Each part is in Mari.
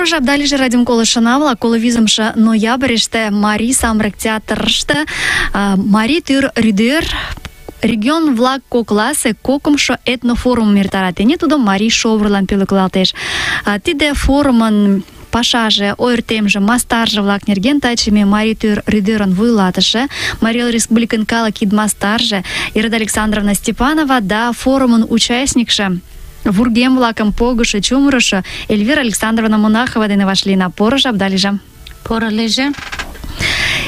Поро жапдалиже радиом колышына-влак, 25 ноябрьыште Марий самырык театрыште Марий тӱр рӱдер регион-влак кокласе кокымшо этнофорумым эртара. Тений тудо марий шовырлан пӧлеклалтеш. Тиде форумын пашаже, ойыртемже, мастарже-влак нерген таче ме Марий тӱр рӱдерын вуйлатыше, Марий Эл Республикын калык кид мастарже Ираида Александровна Степанова да форумын участникше, вургем-влакым погышо, чумырышо Эльвира Александровна Монахова дене вашлийна. Поро жапдалиже. Поро лийже.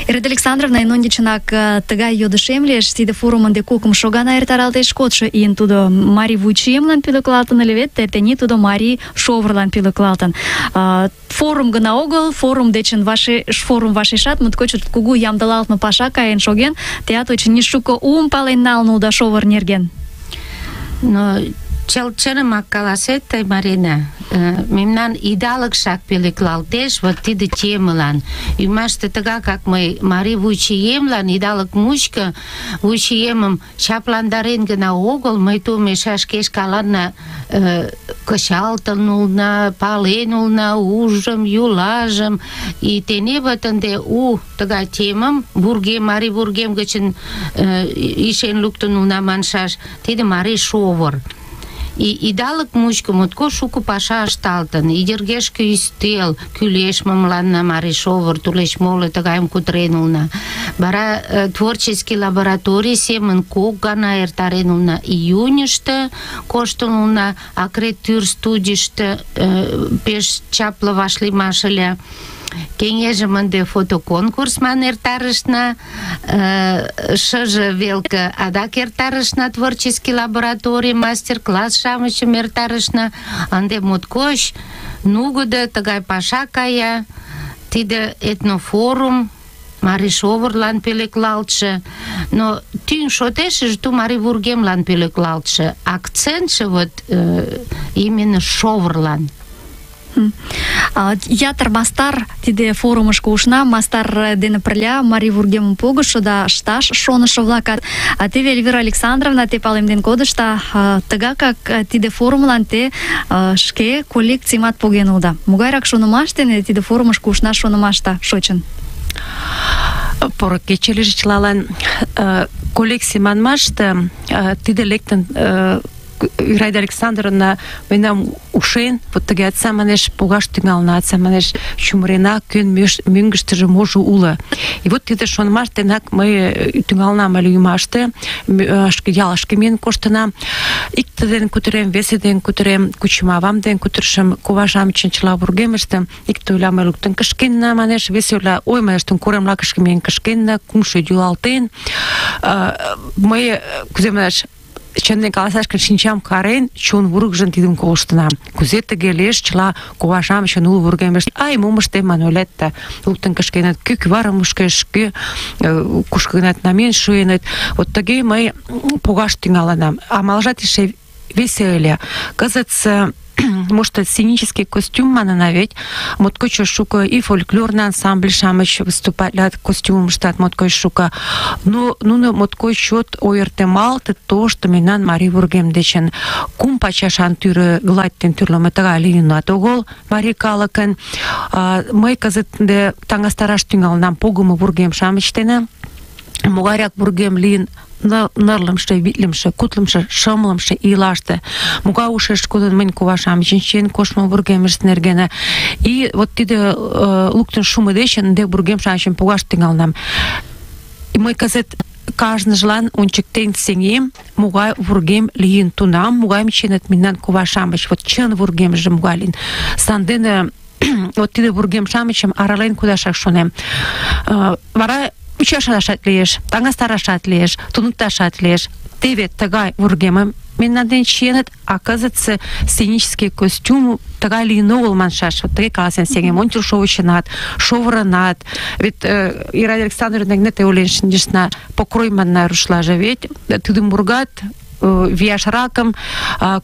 Ираида Александровна, эн ончычынак тыгай йодышем лиеш: тиде форум ынде кокымшо гана эртаралтеш, кодшо ийын тудо марий вуйчиемлан пӧлеклалтын ыле вет, тений тудо марий шовырлан пӧлеклалтын. Форум гына огыл, форум дечын форум вашешат моткоч кугу ямдылалтме паша каен шоген. Теат очыни шуко уым пален налын улыда шовыр нерген. Но чылымак каласет тый, Марина, мемнан идалыкшак пӧлеклалтеш вот тиде темылан. Ӱмаште тыгакак мый марий вуйчиемлан идалык мучко вуйчиемым чапландарен гына огыл, мый тумеша шке шкаланна кычалтын улна, пален улна ужым, юлажым. И тене вот ынде у тыгай темым вургем, марий вургем гычын ишен луктын улна маншаш, тиде марий шовыр. И идалык мучко моткоч шуко паша ышталтын. Идергешке ӱстел, кӱлеш мыланна марий шовыр, тулеч моло тыгайым кутырен улна. Вара творческий лабораторий семын кок гана эртарен улна. Июньышто коштын улна, Акрет тӱр студийыште пеш чапле вашлиймаш ыле. Кеҥежым ынде фотоконкурсман эртарышна, шыже велке адак эртарышна творческий лабораторий, мастер-класс-шамычым эртарышна. Ынде моткоч нугыдо тыгай паша кая. Тиде этнофорум марий шовырлан пӧлеклалтше, но тӱҥ шотешыже ту марий вургемлан пӧлеклалтше. Акцентше вот именно шовырлан. Ятыр мастар тиде форумышко ушна, мастар дене пырля марий вургемым погышо да ышташ шонышо-влакат. Теве Эльвира Александровна, те палемден кодышда, тыгакак тиде форумлан те шке коллекцийымат поген улыда. Могайрак шонымаш дене тиде форумышко ушнаш шонымашда шочын? Поро кече лийже чылалан. Коллекций манмаште тиде лектын Ираида Александровна мемнам ушен, вот тыге атса манеш погаш тӱҥална, атса манеш чумырена, кӧн мӧҥгыштыжӧ можо уло. И вот тиде шонымаш денак мый тӱҥалнам ыле ӱмаште, шке ялышке миен коштынам. Икте дене кутырем, весе дене кутырем, кучымавам дене кутырышым, коважамычын чыла вургемыштым. Икте ойла, мый луктын кышкенна, манеш, весе ойла, ой, манеш, курем лакышке миен кышкенна, кумшо йӱлалтен. Мый, кузе манеш, чынын каласаш гын, шинчам карен, чон вургыжын тидым колыштынам. Кузе тыге лиеш, чыла коважамычын уло вургемышт, ай, мом ыштем ман ойлет да, луктын кышкеныт, кӧ кӱварым мушкеш, кӧ кушко гынат намиен шуеныт. Вот тыге мый погаш тӱҥалынам. Амалжат эше весе ыле. Кызытсе может, сценический костюм манына ведь, моткоч шуко и фольклорный ансамбль-шамыч выступатлят костюмыштат моткоч шуко. Но нуно моткоч чот ойыртемалтыт то, что мемнан марий вургем дечын кум пачашан тӱрӧ гладьтен тӱрлымӧ тыгай лийынат огыл марий калыкын. Мый кызыт таҥастараш тӱҥалынам погымо вургем-шамыч дене. Могайрак вургем лийын нырлымше, витлымше, кутлымше, шымлымше ийлаште. Могай ушеш кодын мынь ковашамычын чиен коштмо вургемышт нергене. И вот тиде луктын шумо дечын ынде вургем-шамычым погаш тӱҥалынам. И мый кызыт кажныжлан ончыктен сеҥем, могай вургем лийын тунам, могайым чиеныт мемнан коваш-шамыч. Вот чын вургемже могай лийын. Сандене вот тиде вургем-шамычым арален кудашак шонем. Вара ӱчашашат лиеш, таҥастарашат лиеш, туныкташат лиеш. Теве тыгай вургемым мемнан дене чиеныт, а кызытсе сценический костюм тыгай лийын огыл маншаш. Вот тыге каласен сеҥем, ончыл шовычынат, шовырынат. Вет Ираида Александровна гына те ойлен шинчышна, покрой манна рушлаже, ведь тудым ургат вияшракым,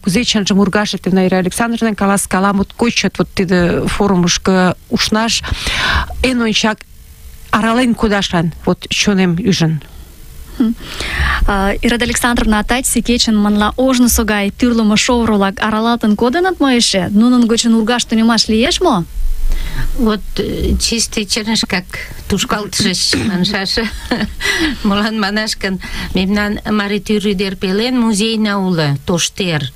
кузе чынжым ургаш, Ираида Александровна каласкала, моткоч вот тиде форумышко ушнаш эн ончак арален кудашан, вот чонем ӱжын. Ираида Александровна, тачсе кечын манла ожнысо гай тӱрлымӧ шовыр-влак аралалтын кодыныт мо эше? Нунын гычын ургаш тунемаш лиеш мо? Вот чисто чернышкак тушкалтышыч маншаш. Молан манаш гын, мемнан марий тӱр ӱдыр пелен музейна уло, тоштер.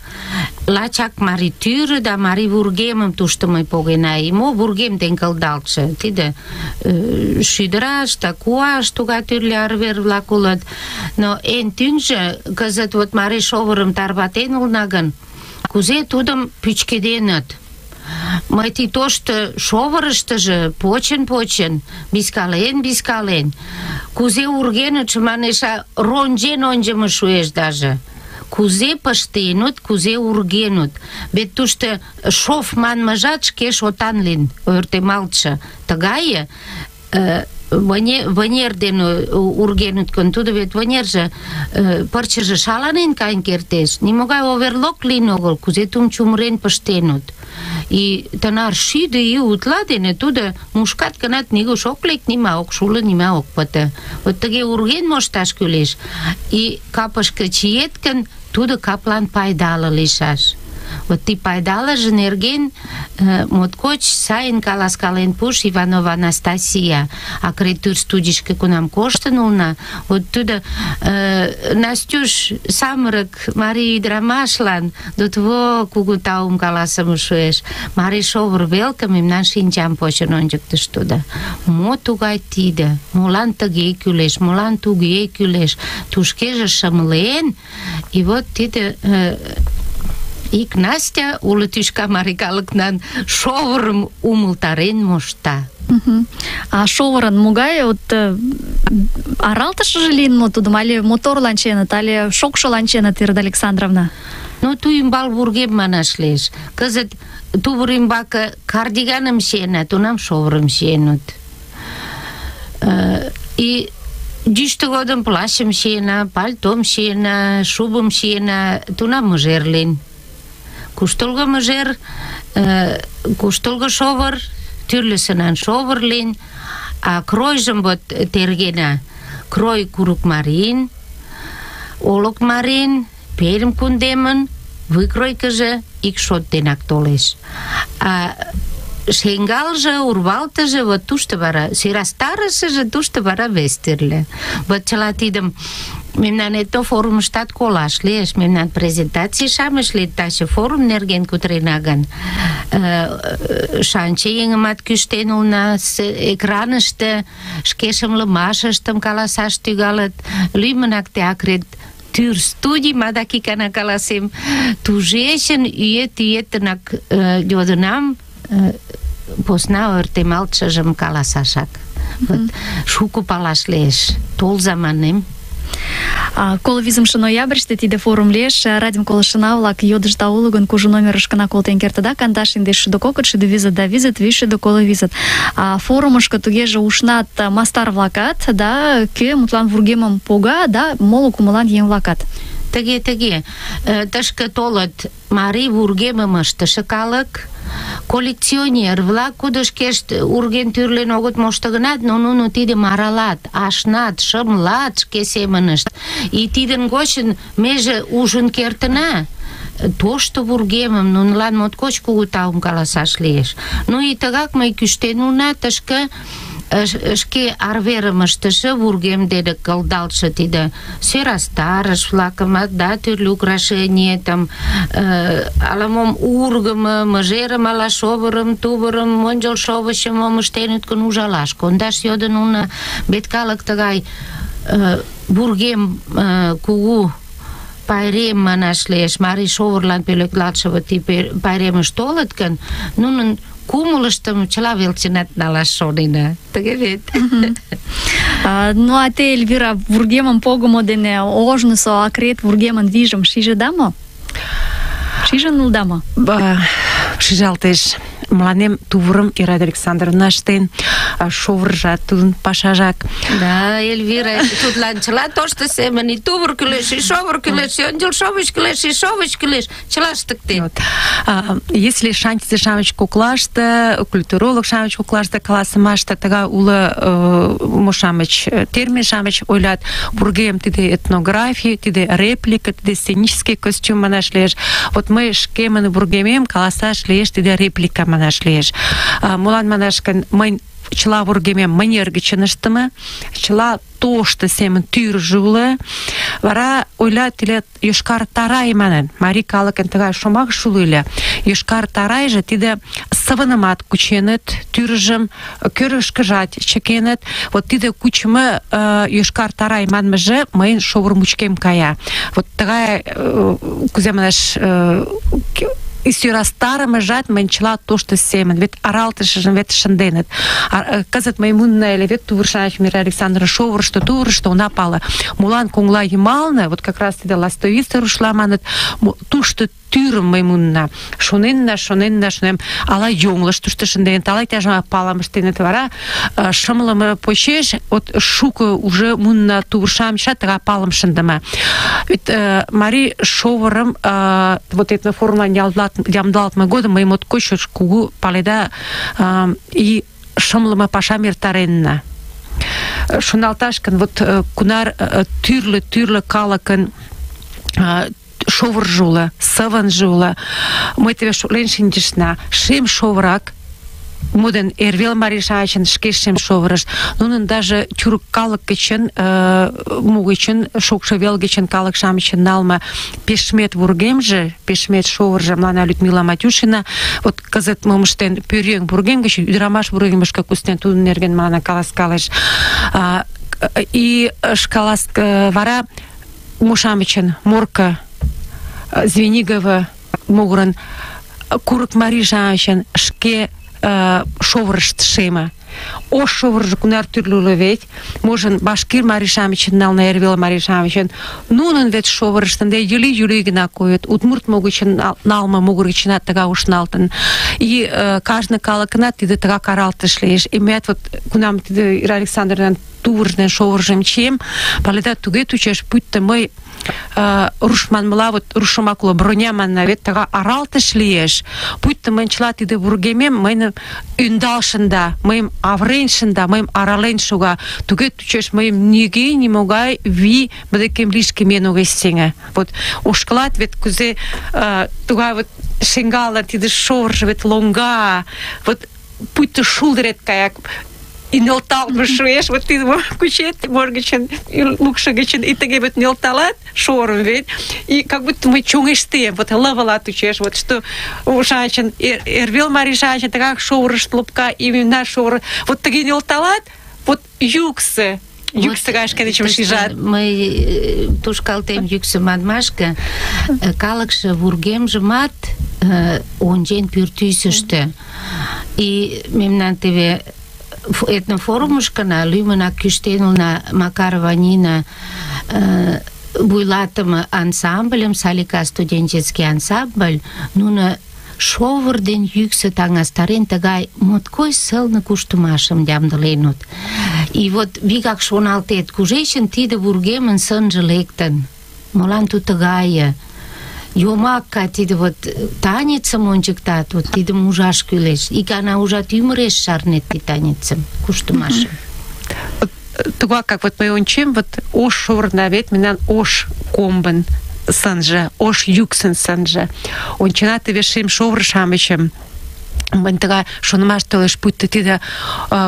Лачак марий тӱр да марий вургемым тушто мый погена. И мо вургем ден кылдалтше. Тиде шӱдыраш да куаш тугай тӱрлӧ арвер-влак улыт. Но эн тӱҥжӧ кызыт вот марий шовырым тарватен улына гын, кузе тудым пӱчкеденыт. Мый ти тошто шовырыштыжы почын, бискален, кузе ургенытше, манеш, ронжен ончымо шуэш даже. Кузе пыштенут, кузе ургенут. Вет тушто шов манмыжат шке шотан лийын, ойыртемалтше. Тыгае вынер дене ургенут гын, тудо вет вынерже пырчыже шаланен каен кертеш. Нимогай оверлок лийын огыл, кузе тум чумырен пыштенут. И тынар шӱдӧ ий утла дене тудо мушкат гынат, нигуш ок лек, нима ок шуло, нима ок пыте. Вот тыге урген мошташ кӱлеш. И капышке чиет гын, тудо каплан пайдале лийшаш. Вот ти пайдалыже нерген моткоч сайын каласкален пуш Иванова Анастасия. Акредитур студийышке кунам коштын улна, вот тудо Настюш самырык марий ӱдырамашлан дотво кугу таум каласыме шуэш. Марий шовыр велке мемнан шинчам почын ончыктыш тудо. Мо тугай тиде? Молан тыге кӱлеш? Молан туге кӱлеш? Тушкеже шымлен, и вот тиде ик Настя уло тӱшка марий калыкнан шовырым умылтарен мошта. А шовырын могай аралтышыже лийын мо тудым, але моторлан чиеныт, але шокшылан чиеныт, Ираида Александровна? Ну, ту ӱмбал вургем манаш лиеш. Кызыт тувыр ӱмбаке кардиганым чиенат, тунам шовырым чиеныт. И йӱштӧ годым плащым чиена, пальтом чиена, шубым чиена, тунам мыжер лийын. Куштылго мыжер, куштылго шовыр, тӱрлӧсынан шовыр лийын, а кройжым вот тергена. Крой курык марийын, Олык марийын, Пермь кундемын, выкройкыжо ик шот денак толеш. А шеҥгалже, урвалтыже, вот тушто вара, сӧрастарышыже тушто вара вес тӱрлӧ. Вот чыла тидым мемнан этнофорумыштат колаш лиеш, мемнан презентаций-шамыч лийыт, таче форум нерген кутырена гын. Шанче еҥымат кӱштен улына, экраныште шке шымлымашыштым каласаш тӱҥалыт, лӱмынак те акредитур студий, адак икана каласем, тушечын ӱет-ӱетынак йодынам, посна ойыртемалтшыжым каласашак. Шуко палаш лиеш. Толза манем. Коло 5 ноябрьыште тиде форум лиеш. Радиом колышына-влак йодышда уло гын, кужу номерышкына колтен кертыда. 2-2-2 визыт. Форумышко тугеже ушнат мастар-влакат, да, кӧ мутлан вургемым пога, да, моло кумылан еҥ-влакат. Тыге. Тышке толыт марий вургемым ыштыше калык, коллекционер-влак, кудо шкешт урген тӱрлен огыт мошто гынат, но нуно тидым аралат, ашнат, шымлат шке семынышт. И тидын гочын меже ужын кертына тошто вургемым, нунылан моткоч кугу таум каласаш лиеш. Ну и тыгак мый кӱштен улына тышке шке арверым ыштыше вургем дене кылдалтше тиде сӧрастарыш-влакымат, да, тӱрлӧ украшениетым, ала-мом ургымо, мыжерым, ала шовырым, тувырым, ончыл шовычым мом ыштеныт гын, ужалаш кондаш йодын улына. Вет калык тыгай вургем кугу пайрем манаш лиеш, марий шовырлан пӧлеклалтше вот тип пайремыш толыт гын, нунын кумылыштым чыла велчынат налаш шонена. Тыге вет. Ну, а те, Эльвира, вургемым погымо дене ожнысо акрет вургемын вийжым шижыда мо? Шижын улыда мо? Шижалтеш. мыланем тувырым Ираида Александровна ыштен, шовыржат тудын пашажак. Да, Эльвира, тудлан чыла тошто семын, и тувыр кӱлеш, и шовыр кӱлеш, и ончылшовыч кӱлеш, и шовыч кӱлеш, чыла ыштыктен. Если шантизе-шамыч коклаште, культуролог-шамыч коклаште каласымаште тыгай уло мо-шамыч, термин-шамыч ойлат, вургем тиде этнография, тиде реплика, тиде сценический костюм манаш лиеш. Вот мый шкемын вургемем каласаш лиеш, тиде реплика манаш лиеш. Молан манаш гын, мый чыла вургемем манер гычын ыштыме, чыла тошто семын тӱржӧ уло. Вара ойлат тиле йошкар тарай манын. Марий калыкын тыгай шомакше уло ыле. Йошкар тарайже тиде сывынымат кученыт, тӱржым кӧргышкыжат чыкеныт. Вот тиде кучымо йошкар тарай манмыже мыйын шовыр мучкем кая. Вот тыгай, кузе манаш, сӧрастарымыжат мыйын чыла тошто семын, вет аралтышыжым вет шынденыт. Кызыт мый мунна ыле, вет тувыр-шамыч Мира Александровна шовырышто, тувырышто она пала. Молан коҥла йымалне, вот как раз тиде ластовица рушла маныт, тушто тӱрым мый мунна. Шоненна, ала йоҥылыш тушто шынденыт, ала иктаж палым ыштеныт. Вара шымлыме почеш, вот шуко уже мунна тувыр-шамычат тыгай палым шындыме. Вет марий шовырым вот этноформлан ямдылалтме годым мый моткоч кугу паледа и шымлыме пашам эртаренна. Шоналташ гын, вот кунар тӱрлӧ калыкын шовыржо уло, сывынже уло. Мый теве шотлен шинчышна. Шем шовырак, моден эрвел марий-шамычын шке шем шовырышт. Нунын даже тюрк калык гычын, мугычын, шокшо вел гычын калык-шамычын налме пешмет вургемже, пешмет шовырже мыланна Людмила Матюшина, вот кызыт мом ыштен, пӧръеҥ вургем гыч ӱдырамаш вургемышке куснен, тудын нерген мыланна каласкалеш. И вара мо-шамычын Морко, Звенигово могырын курык марий-шамычын шке шовырышт шеме. Ош шовыржо кунар тӱрлӧ уло вет. Можын башкир марий-шамычын налме, эрвел марий-шамычын. Нунын вет шовырышт ынде йӱли гына койыт. Удмурт могырычын налме могыр гычынат тыгай ушналтын. И кажне калыкынат тиде тыгак аралтыш лиеш. И меат вот кунам тиде Ира Александровнан тувырж ден шовыржым чием, паледа туге чучеш, пуйто мый руш манмыла, вот руш шомак уло, броня манна, вет тыгай аралтыш лиеш. Пуйто мыйын чыла тиде вургемем мыйым ӧндал шында, мыйым авырен шында, мыйым арален шога. Туге чучеш, мыйым нигӧ нимогай вий мый декем лишке миен огеш сеҥе. Вот ошкылат вет кузе тугай вот шеҥгалне тиде шовыржо вет лоҥга, вот пуйто шулдырет кая, и нӧлталме шуэш, вот тидым кучет, мор гычын, лукшо гычын, и тыге вот нӧлталат шорым вет, и как будто мый чоҥештем, вот лывыла тучеш, вот что шанчын, эрвел марий-шамычын тыгак шовырышт лопка, и мемнан шовыр, вот тыге нӧлталат, вот йӱксӧ гай шкенечым шижат. Мый тушкалтем йӱксӧ манмашке, калыкше вургемжымат ончен пӱртӱсыштӧ. И мемнан теве этнофорумышкына лӱмынак кӱштен улына Макарова Нина вуйлатыме ансамбльым, Салика студенческий ансамбль, нуно шовыр ден йӱксӧ таҥастарен тыгай моткоч сылне куштымашым ямдыленыт. И вот вигак шоналтет, кушечын тиде вургемын сынже лектын, молан тудо тыгае? Йомакка тиде вот танецым ончыктат, вот тидым ужаш кӱлеш. Икана ужат, ӱмыреш шарнет тиде танецым, куштымашым. Тугак, как вот мый ончем, вот ош шовырна вет мемнан ош комбын сынже, ош йӱксын сынже. Ончена теве шем шовыр-шамычым. Мынь тыгай шонымаш толеш, пуйто тиде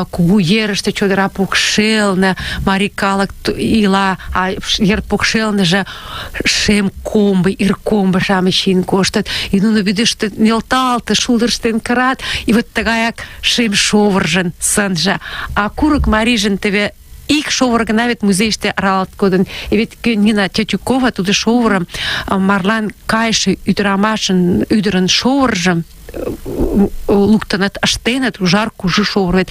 кугу ерыште чодыра покшелне марий калык ила, а ер покшелныже шем комбо, ир комбо-шамыч чиен коштыт, и нуно вӱдыштӧ нӧлталте, шулдырыштен кырат, и вот тыгаяк шем шовыржын сынже. А курык марийжын теве ик шовыр гына вет музейыште аралалт кодын. И вет Нина Тятюкова тудо шовырым марлан кайше ӱдырамашын ӱдырын шовыржым луктыныт, ыштеныт, ужар кужу шовыр. Вет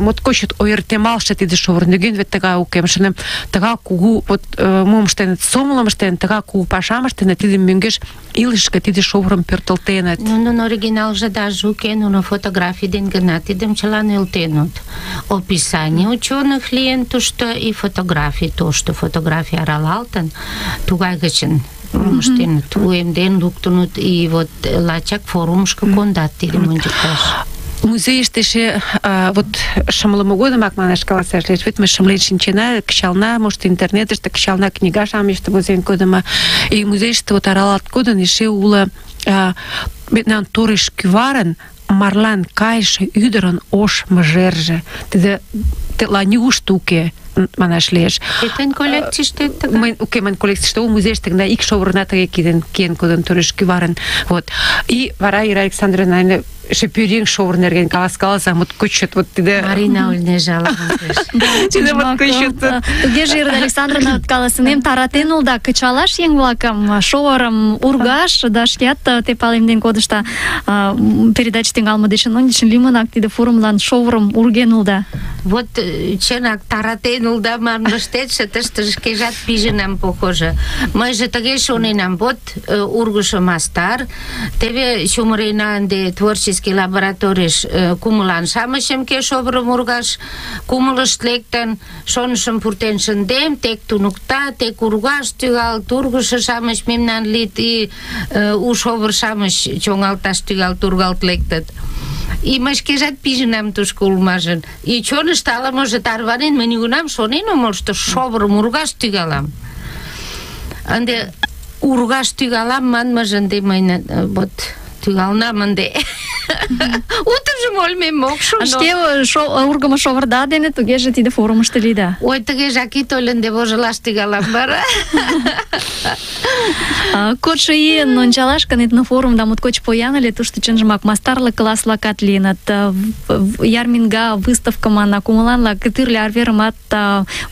моткоч ойыртемалше тиде шовыр. Нигӧн вет тыгай уке. Шонем, тыгай кугу мом ыштеныт, сомылым ыштеныт, тыгай кугу пашам ыштеныт, тиде мӧҥгеш илышке тиде шовырым пӧртылтеныт. Нунын оригиналже даже уке, нуно фотографий ден гына тидым чыла нӧлтеныт. Описание ученых лийын тушто и фотографий тошто. Фотографий аралалтын, тугай гычын ыштеныт, уэмден луктыныт, и вот лачак форумышко кондат тидым ончыкташ. Музейыште эше вот шымлыме годымак манаш каласаш лиеш, вет ме шымлен шинчена, кычална, может, интернетыште кычална книга-шамычыште возен кодымо, и музейыште вот аралалт кодын эше уло мемнан тореш кӱварын марлан кайыше ӱдырын ош мыжерже. Тетла нигушто уке, манаш лиеш. Тетен коллекцийыште тыгай? Уке, мыйын коллекцийыште уло, музейыште гына ик шовырна тыге киен кодын тореш кӱварын. Вот. И вара Ира Александровна эше пӧръеҥ шовыр нерген каласкалыза, моткоч вот тиде... Марина Ольнежаловна. Тиде моткоч... Тугеже, Ира Александровна, каласынем, таратен улда кычалаш еҥ-влакым, шовырым ургаш, да шкеат те палемден кодышта передача тӱҥалме дечын ончычын лӱмынак тиде форумлан шовырым урген улда. Вот чынак таратен улда манмыштетше тыште шкежат пижынам, похоже. Мыйже тыге шоненам, вот ургышо мастар, теве чумырена ынде творческий лабораторийыш кумылан-шамычым ке шовырым ургаш, кумылышт лектын, шонышым пуртен шындем, тек туныкта, тек ургаш тӱҥалыт, ургышо-шамыч мемнан лийыт, и у шовыр-шамыч чоҥалташ тӱҥалыт, ургалт лектыт. И мый шкежат пижынам тушко улмажын. И чонышто ала-можо тарванен, мый нигунам шонен омыл, что шовырым ургаш тӱҥалам. Ынде ургаш тӱҥалам манмыже ынде мый вот тӱҥалнам ынде. Утыжым ойлымем ок шу. Шке ургымо шовырда дене тугеже тиде форумышто лийда. Ой, тыгежак ит ойло, ынде вожылаш тӱҥалам вара. Кодшо ийын ончалаш гын, этнофорумда моткоч поян ыле, тушто чынжымак мастарлык класс-влакат лийыныт, ярминга, выставка манна, кумыланлак тӱрлӧ арверымат,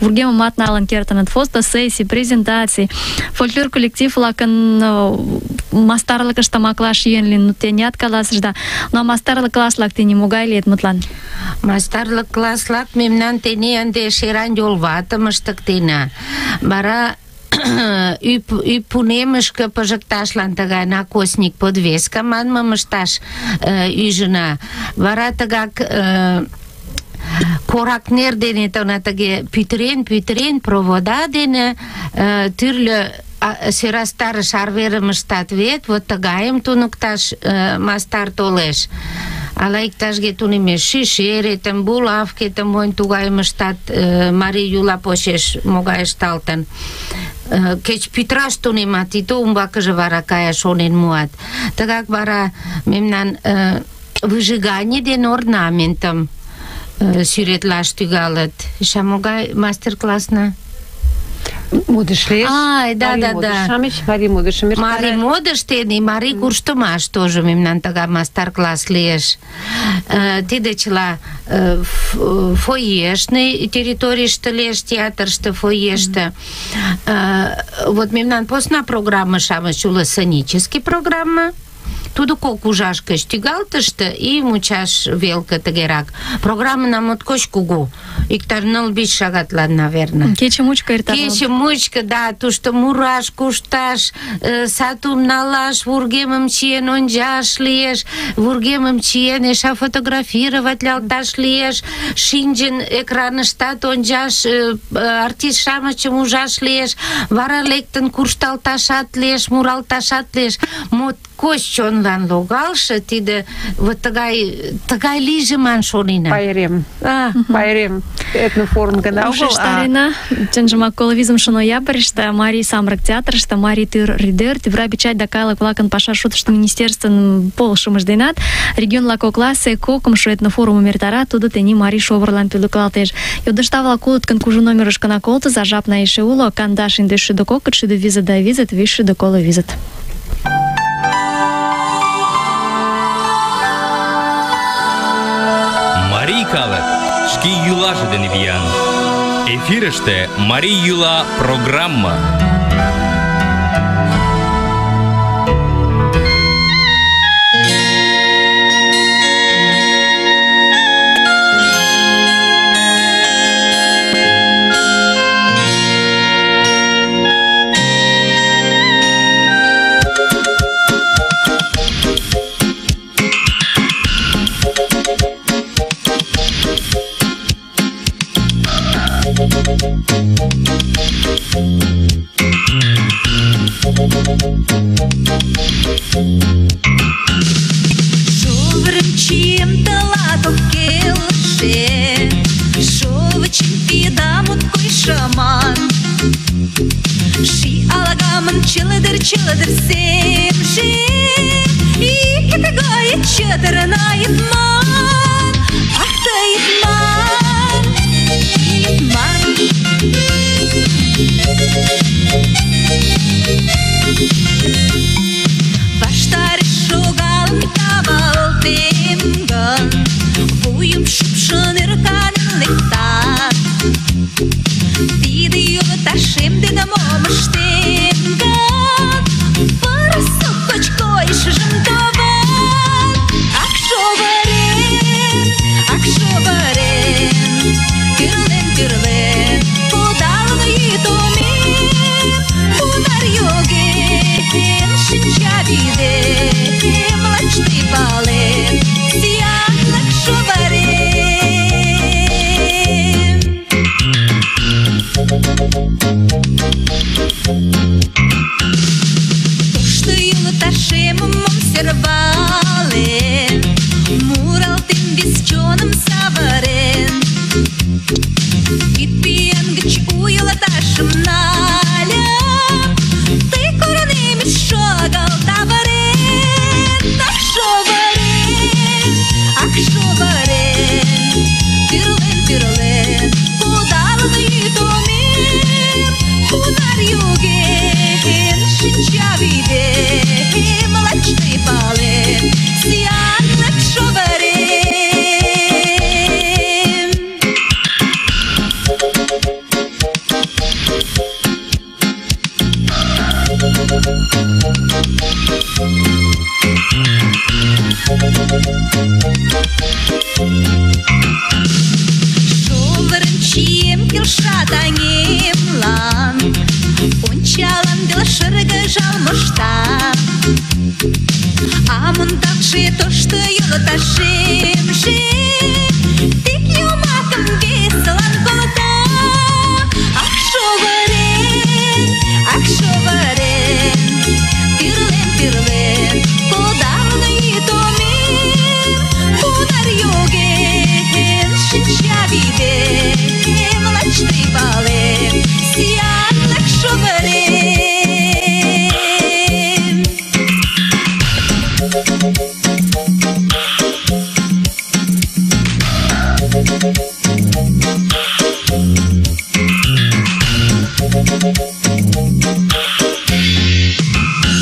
вургемымат налын кертыныт, фотосессий, презентаций, фольклор коллектив-влакын мастарлыкышт тамаклаш йӧн лийын, тениат каласышда. Но мастарлык класс-влак тений могай лийыт мутлан? Мастарлык класс-влак мемнан тений ынде шеран йолватым ыштыктена. Вара ӱпунемышке пыжыкташлан тыгай накосник подвеска манмым ышташ ӱжына. Вара тыгак корак нер дене тыге пӱтырен провода дене тӱрлӧ сӧрастарыш арверым ыштат вет, вот тыгайым туныкташ мастар толеш. Ала иктажге тунемеш шишеретым, булавкетым, монь тугайым ыштат, марий йӱла почеш могай ышталтын. Кеч пӱтыраш тунемат, и то умбакыже вара каяш шонен муат. Тыгак вара мемнан выжигание ден орнаментым сӱретлаш тӱҥалыт. Эше могай мастер-классна? Модыш лиеш. Да. Марий модышым. Марий модыш тений, марий куштымаш тоже мемнан тыгай мастер-класс лиеш. Тиде чыла фойешный территорийыште лиеш, театрыште, фойеште. Вот мемнан посна программа-шамыч уло, сценический программа. Тудо кок ужаш гыч тӱҥалтыште и мучаш велке тыгерак. Программына моткоч кугу. Иктаж 9-5 шагатлан, наверное. Кече мучко эртат. Кече мучко, да, тушто мураш, кушташ, сатум налаш, вургемым чиен ончаш лиеш, вургемым чиен эше фотографировать лялташ лиеш, шинчын экраныштат ончаш, артист-шамычым ужаш лиеш, вара лектын куржталташат лиеш, муралташат лиеш. Моткоч чонлан логалше тиде вот тыгай лийже ман шонена. Пайрем. Этнофорум гына огыл. Ушештарена, чынжымак коло 5 ноябрьыште Марий самырык театрыште Марий тӱр рӱдер, тӱвра печать да калык-влакын паша шотышто министерствын полышымыж денат регион-влак кокласе кокымшо этнофорумым эртара, тудо тений марий шовырлан пӧлеклалтеш. Йодышташ-влак улыт гын, кужу номерышкына колтыза, жапна эше уло, 15-52-550. Марий калык шке йӱлаже дене виян. Эфирыште Марий йӱла программа. Чилдер семши, и китагая четырна итман, ах ты итман, итман. Ваштаре шугалын тавалтемган, вуйым шупшын ырканын лектат. Тиде юлы ташемде да мом ыштемган, пырысып кочкойшыжым таван. Ак шовырен, тӱрлен, кудалын йӱдомем, кунар йоген шинчавӱдем, лач тый палет, сӱанлык шовырем. Тошто йолташемым мом сӧрвален, муралтен вес чоным савырен. Кидпӱан гыч у йолташым нальым, тый корнемыч шогал тавырен. Ак шовырен, тӱрлен, кудалын йӱдомем, кунар йоген шинчавӱдем, лач тый палет, сӱанлык шовырем. Шовырын чием келша таҥемлан, ончалам вел шыргыжал мошта. А мондакше тошто йолташемже тек йомакым весылан колта. Ак шовырен, тӱрлен, кудалын йӱдомем, кунар йоген шинчавӱдем, лач тый палет, сӱанлык шовырем.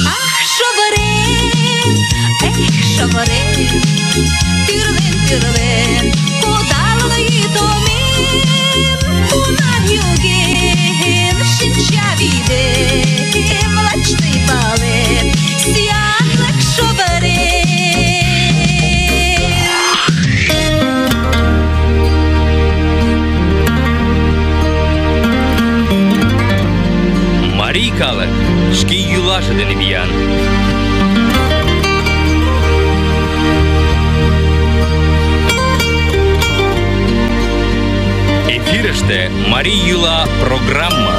Ах, шовырем, тӱрлен, кудалын йӱдомем, кунар йоген шинчавӱдем, лач тый палет, сӱанлык шовырем. Марий калык шке йӱлаже дене виян. Эфирыште Марий йӱла программа.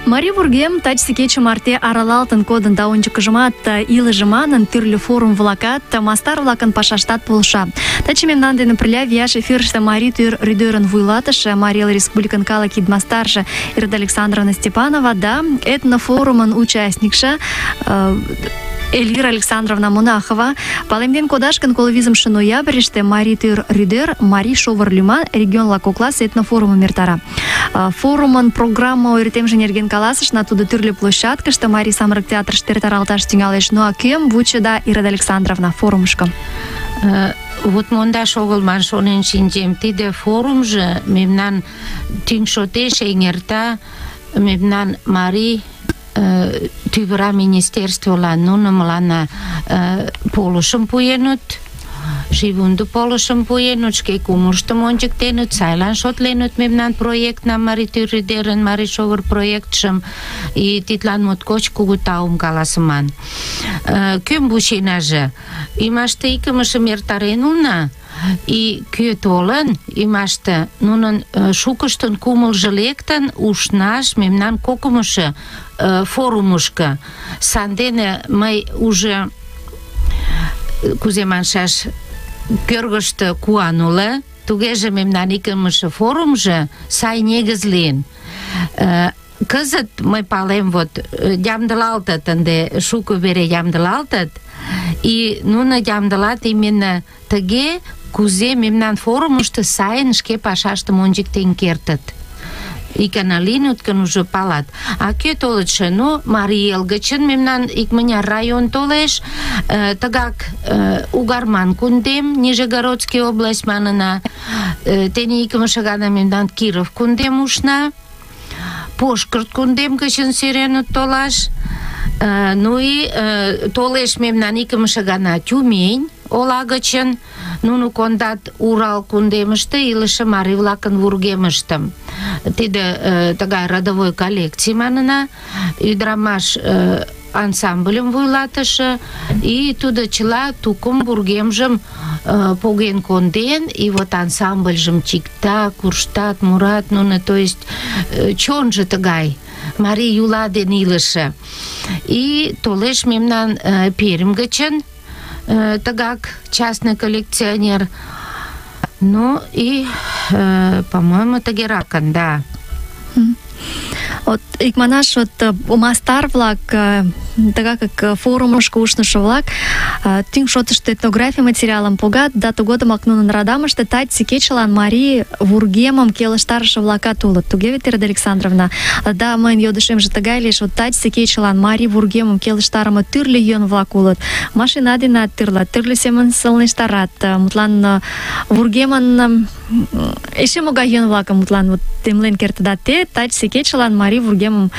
Марий вургем тачысе кече марте аралалтын кодын да ончыкыжымат илыже манын тӱрлӧ форум-влакат, мастар-влакын пашаштат полша. Таче мемнан дене пырля вияш эфирыште Марий тӱр рӱдӧрын вуйлатыше, Марий Эл Республикын калык идмастарже Ираида Александровна Степанова да этнофорумын участникше Эльвира Александровна Монахова. Палемден кодаш гын, 25 ноябрьыште Марий тӱр рӱдӧр Марий шовыр лӱман регион-влак кокласе этнофорумым эртара. Форумын программа ойыртемже нерген каласышна, тудо тӱрлӧ площадкыште Марий самырык театрыште эртаралташ тӱҥалеш. Ну а кӧм вучеда, Ираида Александровна, форумышко? Вот мондаш огыл ман шонен шинчем, тиде форумжо мемнан тӱҥ шотеш эҥерта мемнан марий тӱвыра министерстволан. Нуно мыланна полышым пуэныт, шийвундо полышым пуэныт, шке кумылыштым ончыктеныт, сайлан шотленыт мемнан проектнам, Марий Тӱр Рӱдерын Марий шовыр проектшым, и тидлан моткоч кугу таум каласыман. Кӧм вученаже? Ӱмаште икымшым эртарен улына, и кӧ толын, ӱмаште нунын шукыштын кумылжо лектын ушнаш мемнан кокымшо форумышко. Сандене мый уже, кузе маншаш, кӧргыштӧ куан уло, тугеже мемнан икымше форумжо сай негыз лийын. Кызыт мый палем, вот ямдылалтыт, ынде шуко вере ямдылалтыт, и нуно ямдылат именно тыге, кузе мемнан форумышто сайын шке пашаштым ончыктен кертыт. Икана лийыныт гын, уже палат. А кӧ толытшо? Ну, Марий Эл гычын мемнан икмыняр район толеш, тыгак Угарман кундем, Нижегородский область манына, тений икымше гана мемнан Киров кундем ушна, Пошкырт кундем гычын сӧреныт толаш, ну и толеш мемнан икымше гана Тюмень ола гычын, нуно кондат Урал кундемыште илыше марий-влакын вургемыштым. Тиде тыгай родовой коллекций манына, ӱдырамаш ансамбльым вуйлатыше, и тудо чыла тукым вургемжым поген конден, и вот ансамбльжым чикта, курштат, мурат, нуно, то есть чонжо тыгай, марий юла ден илыше. И толеш мемнан Пермь гычын тыгак частный коллекционер. Ну и, по-моему, тыгеракын, да. Вот икманаш, вот мастар-влак, тыгак как форумышко ушнышо-влак, тӱҥ шотышто этнографий материалым погат, да тыгодымак нунын радамыште таче кечылан марий вургемым келыштарыше-влакат улыт. Туге вет, Ираида Александровна? Да, мыйын йодышемже тыгай лиеш, вот таче кечылан марий вургемым келыштарыме тӱрлӧ йӧн-влак улыт. Машина денат тӱрлӧ семын сылнештарат. Мутлан вургемын эше могай йӧн-влакым мутлан темлен кертыда те, таче кечылан марий вургемым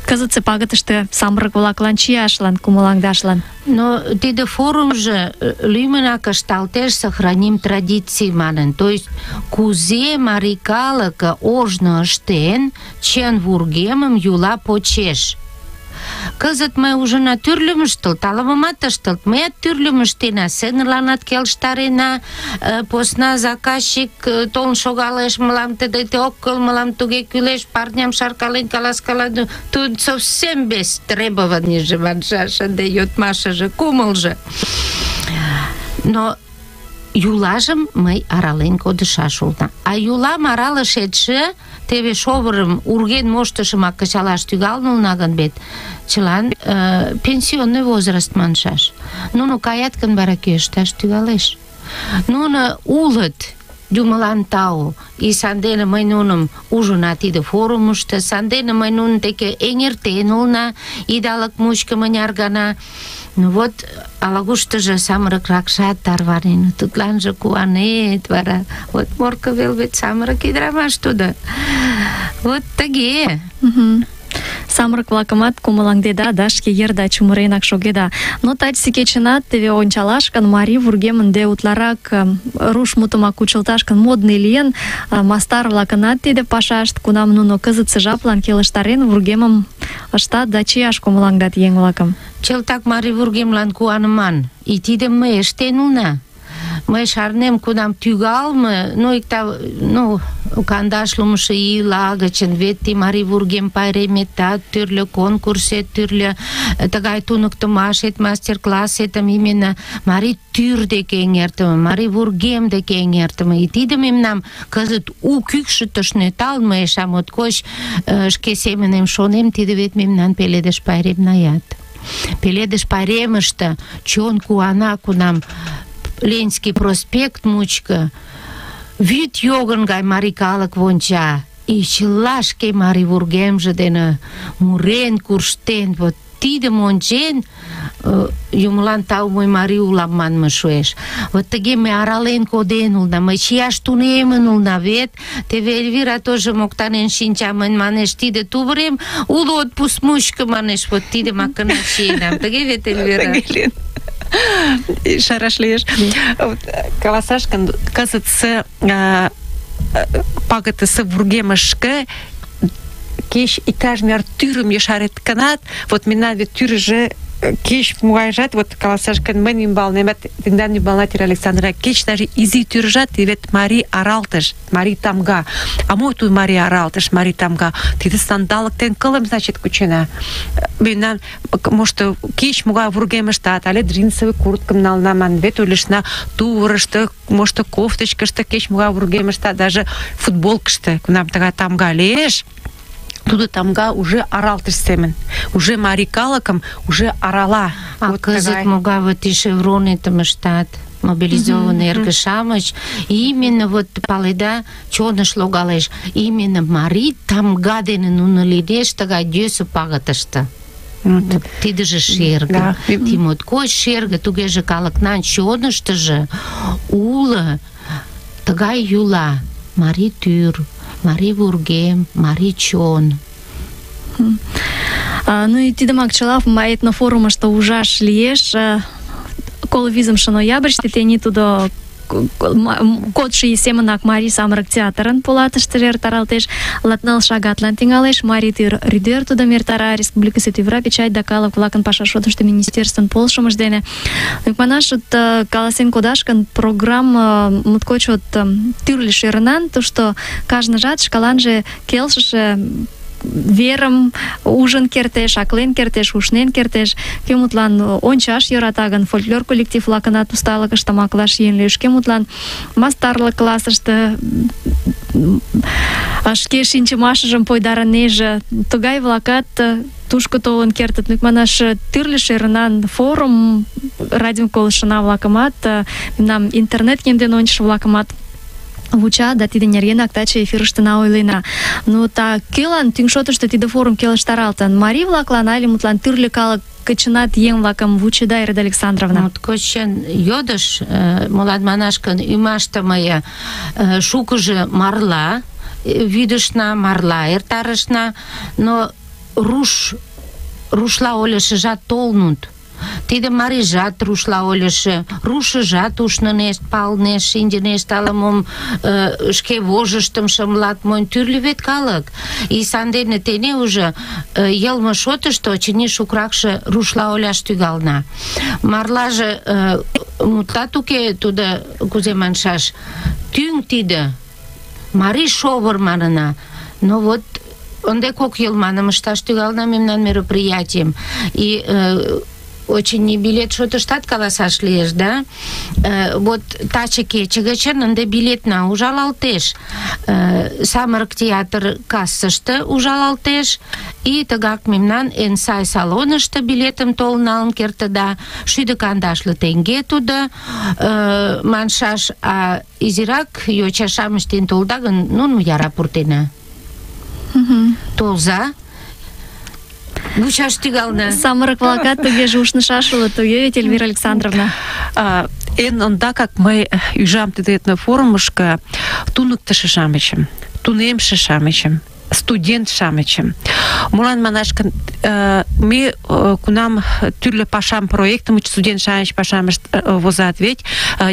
кызытсе пагытыште самырык-влаклан чияшлан, кумылаҥдашлан. Но тиде форумжо лӱмынак ышталтеш «Сохраним традиции» манын. То есть кузе марий калык ожно ыштен, чын вургемым юла почеш. Кызыт мый ужына тӱрлым ыштылт, ала-момат ыштылт. Мыят тӱрлым ыштена, сценыланат келыштарена, посна заказчик толын шогалеш, мылам тыге ок кӱл, мылам туге кӱлеш, парням шаркален каласкала. Тут совсем без требованийже маншаш, ынде йодмашыже, кумылжо. Но юлажым мый арален кодышаш улына. А юлам аралышетше теве шовырым урген моштышымак кычалаш тӱҥалын улына гын вет, чылан пенсионный возраст маншаш. Нуно каят гын, вара кӧ ышташ тӱҥалеш? Нуно улыт, юмылан тау, и сандене мый нуным ужына тиде форумышто, сандене мый нунын деке эҥертен улына идалык мучко мыняр гана. Ну вот, ала-куштыжо самырыкракшат тарванен, тудланже куанет, вара. Вот Морко вел вет самырык ӱдырамаш тудо. Вот тыге. Самырык-влакымат кумылаҥдеда да шке йырда чумыренак шогеда. Но таче кечынат теве ончалаш гын, марий вургем ынде утларак руш мутымак кучылташ гын модный лийын, мастар-влакынат тиде пашашт, кунам нуно кызытсе жаплан келыштарен вургемым ыштат да чияш кумылаҥдат еҥ-влакым. Чылтак марий вургемлан куаныман. И тидым мый ыштен улына. Мый шарнем, кунам тӱҥалме, кандашлымшо ийла гычын, вет ти марий вургем пайреметат, тӱрлӧ конкурсет, тӱрлӧ тыгай туныктымашет, мастер-классетым именно марий тӱр деке эҥертыме, марий вургем деке эҥертыме. И тиде мемнам кызыт у кӱкшытыш нӧлталын, мый эше моткоч шке семынем шонем, тиде вет мемнан пеледыш пайремнаят. Пеледыш пайремыште чон куана, кунам Ленинский проспект мучко вӱд йогын гай марий калык вонча. И чыла шке марий вургемже дене мурен, курштен, вот тидым ончен, юмылан тау, мый марий улам манме шуэш. Вот тыге ме арален коден улна, мый чияш тунемын улна, вет теве Эльвира тоже моктанен шинча, мынь манеш, тиде тувырем уло отпуск мучко, манеш, вот тидымак гына чиенам. Тыге вет, Эльвира? шараш лиеш. Каласаш гын, кызытсе пагытысе вургемышке кеч иктаж мер тӱрым ешарет гынат, вот мемнан вет тӱржӧ кеч могайжат, вот каласаш гын, мыйын ӱмбалнемат, тендан ӱмбалнат, Ира Александровна, кеч даже изи тӱржат, вет марий аралтыш, марий тамга. А мо тудо марий аралтыш, марий тамга? Тиде сандалыктен кылым, значит, кучена. Мемнан, мошто, кеч могай вургемыштат, але джинсовый курткым нална, ман, вет ойлышна тувырышто, мошто кофточкышто, кеч могай вургемыштат, даже футболкышто, кунам тыгай тамга лиеш, тудо тамга уже аралтыш семын. Уже марий калыкым уже арала. А вот кызыт могай вот и шевронетым ыштат, мобилизованный эрге-шамыч, именно вот паледа чоныш логалеш, именно марий тамга дене нуно лиедеш тыгай йӧсӧ пагытыште. Тидыже шерге. Ти моткоч шерге, тугеже калыкнан чоныштыжо уло тыгай йӱла: марий тӱр, марий вургем, марий чон. Ну и тидымак чыла этнофорумышто ужаш лиеш. 25 ноябрьыште тений тудо кодшо ий семынак Марий самырык театрын полатыштыже эртаралтеш. 14 шагатлан тӱҥалеш. Марий тӱр рӱдер тудым эртара. Республикысе тӱвра печать да калык-влакын паша шотышто министерствын полшымыж дене. Икманаш, каласен кодаш гын, программа моткоч тӱрлӧ шӧрынан, тушто кажныжат шкаланже келшыше верым ужын кертеш, аклен кертеш, ушнен кертеш. Кӧ мутлан ончаш йӧрата гын, фольклор коллектив-влакынат усталыкышт тамаклаш йӧн лиеш. Кӧ мутлан мастарлык классыште шке шинчымашыжым пойдарынеже, тугай-влакат тушко толын кертыт. Манаш, тӱрлӧ шӧрынан форум, радиом колыштшына-влакымат, мемнам интернет ямден ончышо-влакымат вуча, да тиде нергенак таче эфирыштына ойлена. Ну, та кӧлан тӱҥ шотышто тиде форум келыштаралтын? Марий-влаклан але мутлан тӱрлӧ калык кычынат еҥ-влакым вучеда, Ира Александровна? Моткоч чын йодыш, молан манаш гын, ӱмаште мые шукыжо марла вӱдышна, марла эртарышна, но рушла ойлышыжат толнут. Тиде марийжат рушла ойлышы, рушыжат ушнынешт, палнешт, шинчынешт, ала-мом шке вожыштым шымлат, монь тӱрлӧ вет калык. И сандене тене уже йылме шотышто, очыни, шукракше рушла ойлаш тӱҥална. Марлаже мутлат уке, тудо, кузе маншаш, тӱҥ тиде, марий шовыр манына. Но вот ынде кок йыл маным ышташ тӱҥална мемнан мероприятием. И очень билет шотыштат каласаш лиеш, да? Вот таче кече гычын ынде билетна ужалалтеш. Самырык театр кассыште ужалалтеш, и тыгак мемнан эн сай салонышто билетым толын налын кертыда. 150 теҥге тудо маншаш, а изирак йоча-шамыч дене толда гын, нуным яра пуртена. Толза. Вучаш тӱҥална. Самырык-влакат тугеже ушнышаш улыт, туге вет, Эльвира Александровна? Эн ондакак мый ӱжам тиде этнофорумышко туныктышо-шамычым, тунемше-шамычым, студент-шамычым. Молан манаш гын, ме кунам тӱрлӧ пашам, проектым студент-шамыч пашам возат, ведь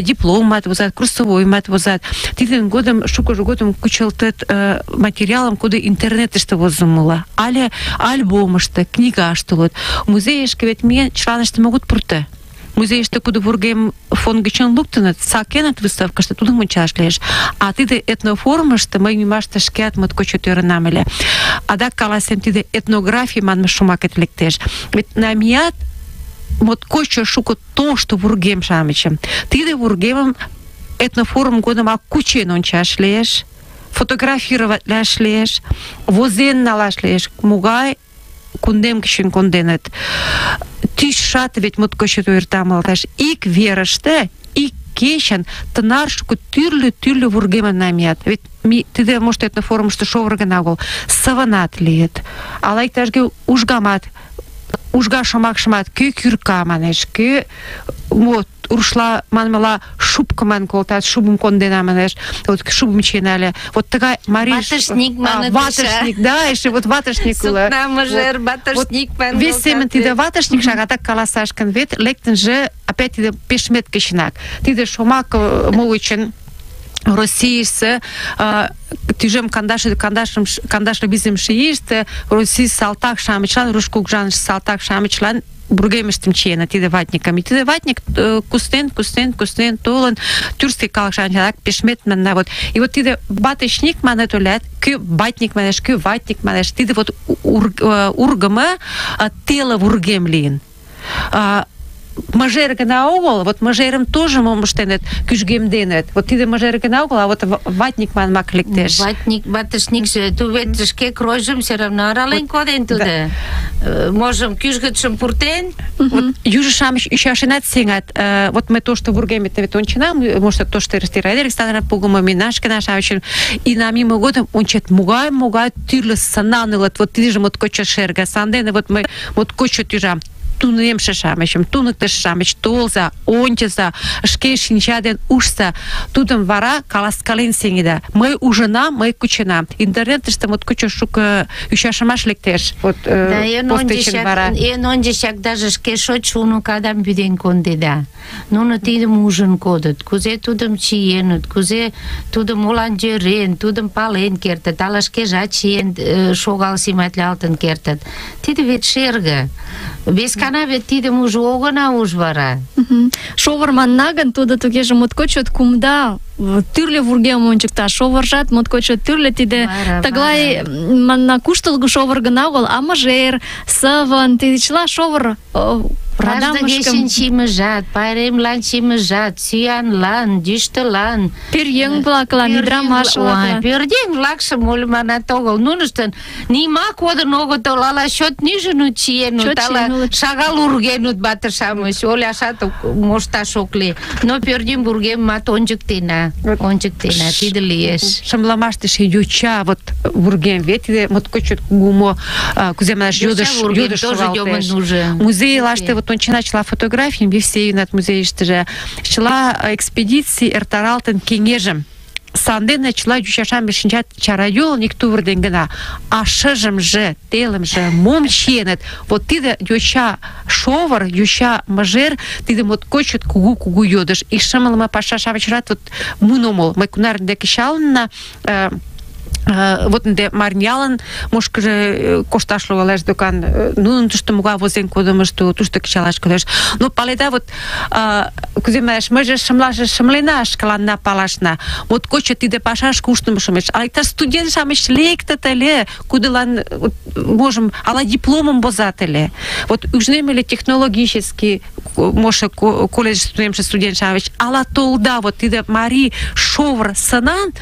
дипломат возат, курсовоймат возат. Тидын годым, шукыжо годым кучылтыт материалым, куды интернетыште возымыла, але альбомышто, книгаште улыт. Музейышке вет миен чыланыштым огыт пурто. Музейыште куды вургем фон гычын луктыныт, сакеныт выставкыште, тудым ончаш лиеш. А тиде этнофорумышто мый ӱмаште шкеат моткоч чот ӧрынам ыле. Адак каласем, тиде этнографий манме шомакет лектеш. Ведь намият моткоч шуко тошто вургем-шамычым. Тиде вургемым этнофорум годымак кучен ончаш лиеш, фотографироватлаш лиеш, возен налаш лиеш. Могай кундем гычын конденыт. Тӱсшат вет моткоч ойыртамалташ. Ик верыште, ик кечын тынар шуко тӱрлӧ вургемым намият. Вет тиде, может, этнофорумышто шовыр гына огыл, сывынат лийыт. Ала иктаж-кӧ ужгамат ужга шомакшымат кӧ кӱрка манеш, кӧ вот рушла манмыла шубка ман колтат, шубым кондена манеш, вот шубым чиен але. Вот тыгай марий... Ватышник маныт. Ватышник, да, эше вот ватышник уло. Сукна мыжер, ватышник ман Вес семын тиде ватышник шагатак каласаш гын, вет лектынже опять тиде пешмет кычынак. Тиде шомак молычын Российсы тӱжем кандашле бизем шииште Россий салтак-шамычлан, руш кугыжаныш салтак-шамычлан бургемыштым чиеныт тиде ватникым. И тиде ватник кустен толын тюркский калык-шамычлан пешмет манна вот. И вот тиде ватышник манет олят, кӧ ватник манеш, кӧ ватник манеш. Тиде вот ургымы теле вургем лийын. Мажер гына огыл, вот мажерым тоже мом ыштеныт, кӱжгемденыт. Вот тиде мажер гына огыл, а вот ватник манмак лектеш. Ватник, ватышникше, ту вет шке кройжым все равно арален коден тудо. Можым кӱжгытшым пуртен. Вот южо-шамыч ӱчашенат сеҥат. Вот мый тошто вургемет вет онченам, может, тошто Ираида Александровна погымо, Минашкина-шамычым, и на мимо годым ончет, могай тӱрлӧ сынан улыт, вот тидыже моткоч шерге. Сандене вот мый моткоч тӱжам. Тунемше-шамычым, туныктыш-шамыч толза, ончыза, шке шинча ден ужса, тудым вара каласкален сеҥеда. Мый ужынам, мый кученам. Интернетыште моткоч шуко ӱчашымаш лектеш. Вот постечын вара. Эн ончычак даже шке шочшо уныкадам вӱден кондеда. Нуно тидым ужын кодыт, кузе тудым чиеныт, кузе тудым молан йӧрен, тудым пален кертыт, ала шкежат чиен шогал симатлалтын кертыт. Тиде вет шерге. Вескана вет тидым уже огына уж вара. Шовыр манна гын, тудо тугеже моткоч чот кумда, тӱрлӧ вургем ончыкта. Шовыржат моткоч чот тӱрлӧ, тиде тыглай манна куштылго шовыр гына огыл, а мыжер, сывын, тиде чыла шовыр Радамышкым чиймыжат, пайремлан чиймыжат, сӱанлан, йӱштылан, пӧръеҥ-влаклан, ӱдырамаш-влаклан. Пӧръеҥ-влакшым ойлыманат огыл. Нуныштын нима кодын огытыл, ала чот нӱжынут чиенут, ала шагал ургенут вате-шамыч, ойлашат мошташ ок лий. Но пӧръеҥ вургемымат ончыктена, тиде лиеш. Шымлымаште ше йоча вот вургем, вет тиде моткоч чот кугу кузе манаш йодыш шогалтеш. Музейлаште вот ончена чыла фотографийым, Евсеевнат музейыштыже, чыла экспедиций эртаралтын кеҥежым. Сандене чыла йочашам шинчат чарайолник тувырден гына, а шыжымже, телымже мом чиеныт. Вот тиде йоча шовыр, йоча мыжер, тиде моткоч кугу йодыш. И шымлыме паша-шамычрат вот мун омыл. Мый кунар деке чалынна, вот ынде марнялын мушкыжо кошташ логалеш докан, нунын тушто могай возен кодымышто тушто кычалаш кодеш. Но паледа, вот кузе манеш, мыйже шымлена шкаланна палашна. Моткоч тиде пашаш куштымо шумеш. Ала иктаж студент-шамыч лектыт ыле, кудылан можым ала дипломым возат ыле. Вот ужнем ыле технологический, може колледж студент-шамыч, ала толда вот тиде марий шовыр сынан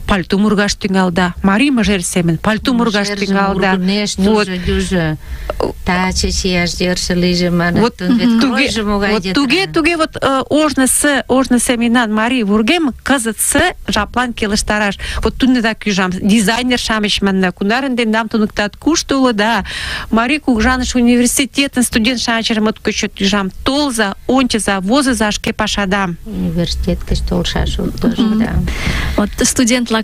пальто мургаш тӱҥалда. Марий мыжер семын пальто мургаш тӱҥалда. Вот таче чияш йӧршӧ лийже манат. Туге вот ожнысо мемнан марий вургем кызытсе жаплан келыштараш. Вот тудынак ӱжам. Дизайнер-шамыч манна, кунарын тендам туныктат, кушто улыда? Марий кугыжаныш университетын студент-шамычым моткоч чот ӱжам. Толза, ончыза, возыза шке пашадам. Университет гыч толшаш тоже, да. Вот студент-влакат,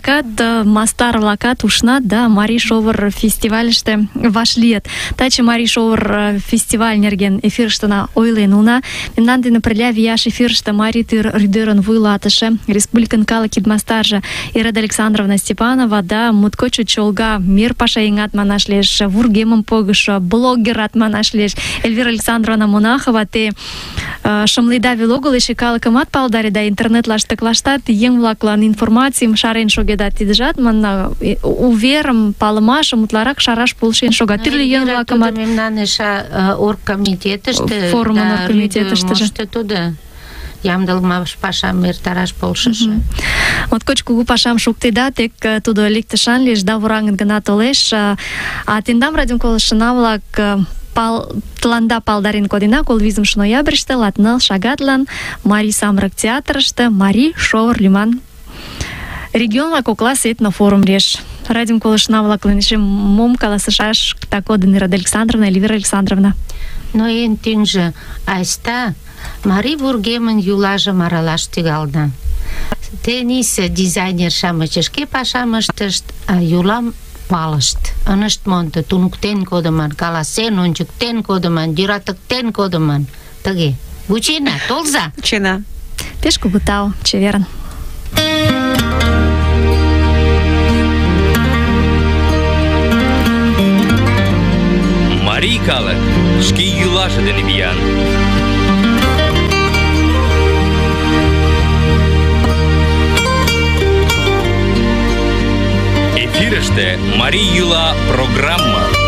мастар-влакат ушнат, да, Марий шовыр фестивальыште вашлийыт. Таче Марий шовыр фестиваль нерген эфирыштына ойлен уна. Мемнан дене пырля вияш эфирыште Марий тӱр рӱдӧрын вуйлатыше, республикын калык икмастарже Ираида Александровна Степанова, да, моткоч чолга мир пашаеҥат манаш лиеш, вургемым погышо, блогерат манаш лиеш. Эльвира Александровна Монахова, те шымледа веле огыл, эше калыкымат палдареда, интернетлаште еҥ-влаклан информацийым шарен шогеда. Тидыжат манна уверым, палымашым утларак шараш полшен шога. Тӱрлӧ еҥ-влакымат мемнан эше оргкомитетыште, форумын оргкомитетыштыже тудо ямдылымаш пашам эртараш полшыжо. Моткоч кугу пашам шуктеда, тек тудо лектышан лиеш да вораҥын гына толеш. А тендам радиом колыштына-влак тыланда палдарен кодена 25 ноябрьыште 6 шагатлан Марий самырык театрыште Марий шовыр лӱман регион-влак кокласе этнофорум лиеш. Радиом колышна-влаклан эше мом каласышаш кодын Ираида Александровна, Эльвира Александровна? Но эн тӱҥжӧ айста марий вургемын юлажым аралаш тӱҥална. Тенийсе дизайнер-шамыч шке пашам ыштышт, а юлам палышт. Ынышт мондо, туныктен кодыман, каласен ончыктен кодыман, йӧратыктен кодыман. Тыге. Вучена, толза. Вучена. Пеш кугу тау, чеверын. Марий калык шке йӱлаже дене виян. Эфирыште «Марий йӱла» программа.